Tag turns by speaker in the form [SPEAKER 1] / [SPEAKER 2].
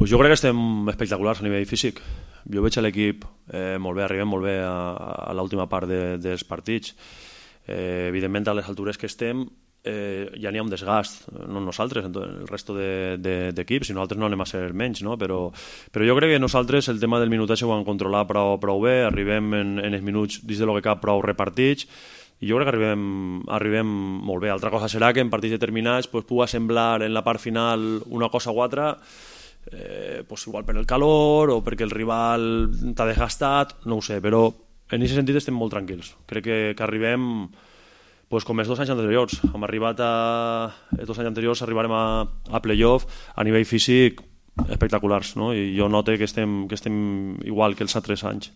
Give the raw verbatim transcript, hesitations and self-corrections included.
[SPEAKER 1] Pues jo crec que estem espectaculars a nivell físic. Jo veig l'equip eh, molt bé, arribem molt bé a, a l'última part de, dels partits. Eh, evidentment, a les altures que estem eh, ja n'hi ha un desgast, no nosaltres, el resto d'equips, de, de, i nosaltres no anem a ser menys, no? Però, però jo crec que nosaltres el tema del minutatge ho han controlat prou, prou bé, arribem en, en els minuts dins de lo que cap prou repartits, i jo crec que arribem, arribem molt bé. Altra cosa serà que en partits determinats pues, pugui semblar en la part final una cosa o altra, eh, pues, igual per el calor o perquè el rival t'ha desgastat, no ho sé, però en aquest sentit estem molt tranquils. Crec que, que arribem pues, com els dos anys anteriors. Hem arribat a... Els dos anys anteriors arribarem a, a playoff a nivell físic espectaculars, no? I jo noto que estem, que estem igual que els altres anys.